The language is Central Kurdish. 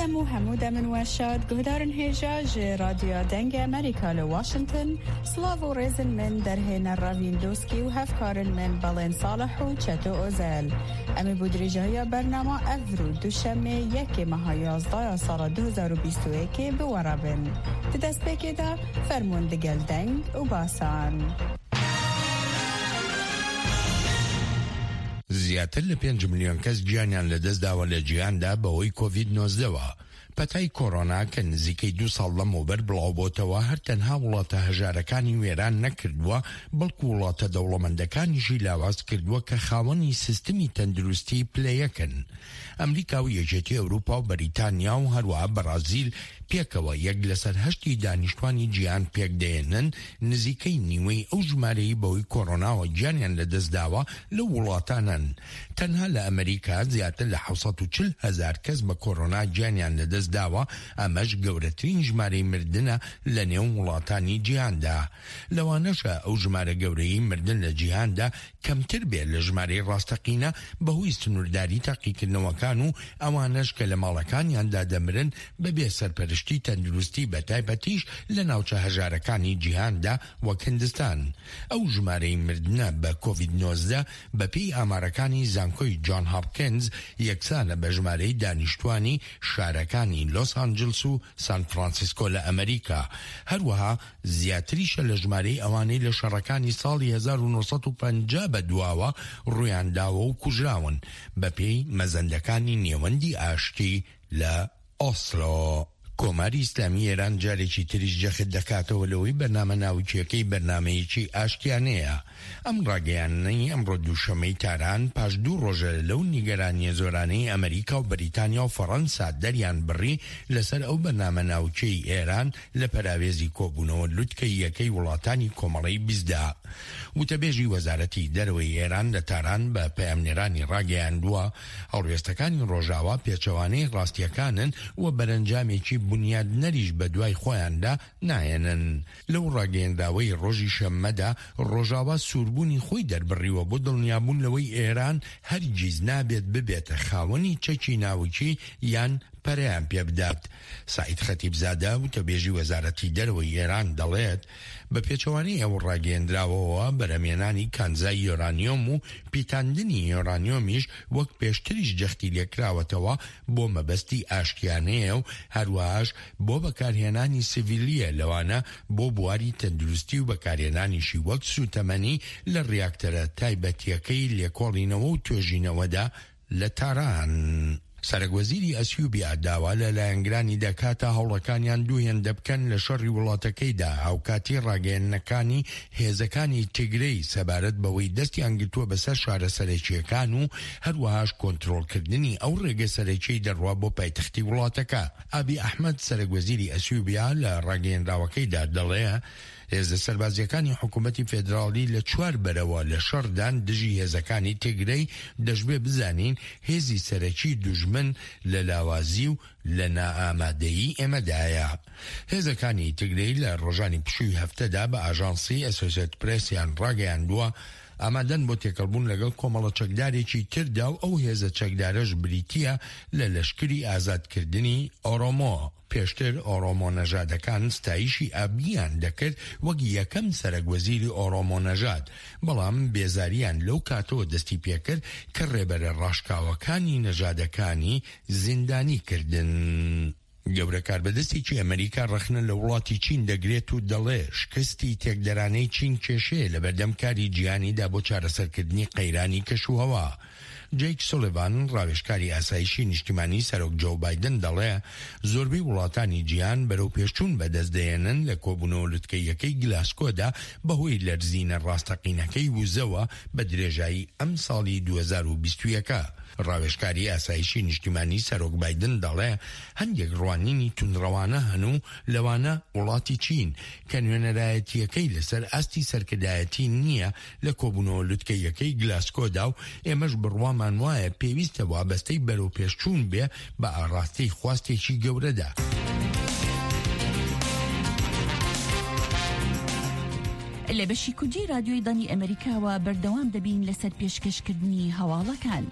Dem û hemû demin we şad guhdarin hêja ji Radyoya Dengê Amerîka li Washington, silav û rêzin min derhêner Revîn Doskî û hevkarin min Belên Salih û Çeto Ozel. Em ê bo dirêjahiya bernama evro duşemê yekê meha yazdaya sala 2021 bi we re bin. Di destpêkê de fermon digel deng û basan. زیاتر لە پێنج ملیۆن کەس گیانیان لەدەستداوە لە جیهاندا بەهۆی کۆڤید 19 وە. پەتای کۆرۆنا کە نزیکەی دوو ساڵ لەمەوبەر بڵاوبۆتەوە هەر تەنها وڵاتە هەژارەکانی وێران نەکردووە بەڵکو وڵاتە دەوڵەمەندەکانیشی لاواز کردووە کە خاوەنی سیستمی تەندروستی پلە یەکن. ئەمریکا و یەکێتی ئەوروپا و بەریتانیا و هەروەها بەڕازیل پێکەوە یەک لەسەر هەشتی دانیشتوانی جیهان پێکدەهێنن، نزیکەی نیوەی ئەو ژمارەی بەهۆی کۆرۆناوە گیانیان لەدەستداوە لەو وڵاتانەن. تەنها لە ئەمریکا زیاتر لە 740 هەزار کەس بە کۆرۆنا گیانیان لەدەستداوە، ئەمەش گەورەترین ژمارەی مردنە لەنێو وڵاتانی جیهاندا. لەوانەشە ئەو ژمارە گەورەیەی مردن لە جیهاندا کەمتر بێت لە ژمارەی ڕاستەقینە بەهۆی سنوورداری تاقیکردنەوەکان و ئەوانەش کە لە ماڵەکانیاندا دەمرن بەبێ سەرپەرشتی تەندروستی بەتایبەتیش لە ناوچە هەژارەکانی جیهاندا وەک هندستان. ئەو ژمارەی مردنە بە کۆڤید 19 بەپێی ئامارەکانی زانکۆی جۆن هاپکنز یەکسانە بە ژمارەی دانیشتوانی شارەکانی لۆس ئانجلس و سان فرانسیسکۆ لە ئەمریکا هەروەها زیاتریشە لە ژمارەی ئەوانەی لە شەڕەکانی ساڵی 1950 بەدواوە ڕوویانداوە و کوژراون، بەپێی مەزەندەکانی نێوەندی ئاشتی لە ئۆسلۆ. کۆماری ئیسلامی ئێران جارێکی تریش جەخت دەکاتەوە لەوەی بەرنامە ناوکییەکەی بەرنامەیەکی ئاشتیانەیە. ئەم ڕاگەیاندنەی ئەمڕۆ دووشەممەی تاران پاش دوو ڕۆژە لەو نیگەرانییە زۆرانەی ئەمەریکا و بەریتانیا و فەڕەنسا دەریان بڕی لەسەر ئەو بەرنامە ناوکیەی ئێران لە پەراوێزی کۆبوونەوە لوتکەییەکەی وڵاتانی کۆمەڵەی بیستدا. وتەبێژی وەزارەتی دەرەوەی ئێران لە تاران بە پەیامنێرانی ڕاگەیاندووە، هەڵوێستەکانی ڕۆژاوا پێچەوانەی ڕاستییەکانن و بەرەنجامێکی بونیادنەریش بەدوای خۆیاندا ناهێنن. لەو ڕاگەیەنراوەی ڕۆژی شەممەدا، ڕۆژاوا سووربوونی خۆی دەربڕیوە بۆ دڵنیابوون لەوەی ئێران هەرگیز نابێت ببێتە خاوەنی چەکی ناوکی یان پەرەیان پێبدات. سەعید خەتیبزادە، وتەبێژی وەزارەتی دەرەوەی ئێران دەڵێت، بە پێچەوانەی ئەو ڕاگەیەندراوەوە، بەرهەمهێنانی کانزای یۆرانیۆم و پیتاندنی یۆرانیۆمیش وەک پێشتریش جەختی لێکراوەتەوە بۆ مەبەستی ئاشتیانەیە و هەروەهاش بۆ بەکارهێنانی سڤیلییە لەوانە بۆ بواری تەندروستی و بەکارهێنانیشی وەک سووتەمەنی لە ڕیاکتەرە تایبەتییەکەی لێکۆڵینەوە و توێژینەوەدا لە تاران. سەرەک وەزیری ئەسیوبیا داوا لە لایەنگرانی دەکات تا هەوڵەکانیان دوو هێندە بکەن لە شەڕی وڵاتەکەیدا هاوکاتی ڕاگەیەندنەکانی هێزەکانی تیگرەی سەبارەت بەوەی دەستیان گرتووە بەسەر شارە سەرەکییەکان و هەروەهاش کۆنترۆڵکردنی ئەو ڕێگە سەرەکیەی دەڕوا بۆ پایتەختی وڵاتەکە. ئابی ئەحمەد سەرەک وەزیری ئەسیوبیا لە ڕاگەیەنراوەکەیدا دەڵێ هێزە سەربازییەکانی حکوومەتی فێدراڵی لە چوار بەرەوە لە شەڕدان دژی هێزەکانی تیگرەی، دەشبێ بزانین هێزی سەرەکی دوژمن لە لاوازی و لە نائامادەیی ئێمەدایە. هێزەکانی تیگرەی لە ڕۆژانی پشووی هەفتەدا بە ئاژانسی ئەسۆسێت پرێسیان ڕاگەیاندووە، ئامادەن بۆ تێکەڵبوون لەگەڵ کۆمەڵە چەکدارێکی تردا و ئەو هێزە چەکدارەش بریتییە لە لەشکری ئازادکردنی ئۆرۆمۆ. پێشتر ئۆرۆمۆ نەژادەکان ستایشی ئابییان دەکرد وەک یەکەم سەرەک وەزیری ئۆرۆمۆ نەژاد، بەڵام بێزارییان لەو کاتەوە دەستی پێکرد کە ڕێبەرە ڕاشکاوەکانی نەژادەکانی زیندانی کردن. گەورە کاربەدەستێکی ئەمەریکا ڕەخنە لە وڵاتی چین دەگرێت و دەڵێ شکستی تێکدەرانەی چین کێشەیە لەبەردەم کاری جیهانیدا بۆ چارەسەرکردنی قەیرانی کەشوهەوا. جەیک سولیڤان، ڕاوێژکاری ئاسایشی نیشتیمانی سەرۆک جۆو بایدن دەڵێ زۆربەی وڵاتانی جیهان بەرەوپێشچوون بەدەست دەهێنن لە کۆبوونەوە لوتکەییەکەی گلاسکۆدا بەهۆی لەرزینە ڕاستەقینەکەی وزەوە بە درێژایی ئەمساڵی 2021. ڕاوێژکاری ئاسایشی نیشتیمانی سەرۆک بایدن دەڵێ هەندێک ڕوانینی توندڕەوانە هەن و لەوانە وڵاتی چین کە نوێنەرایەتییەکەی لەسەر ئاستی سەرکردایەتی نییە لە کۆبوونەوە لوتکەییەکەی گلاسکۆدا و ئێمەش بڕوامان وایە پێویستە وابەستەی بەرەوپێشچوون بێ بە ئاڕاستەی خواستێکی گەورەدا. لە بەشی کوردی رادیۆی دەنگی ئەمەریکاوە بەردەوام دەبین لەسەر پێشکەشکردنی هەواڵەکان.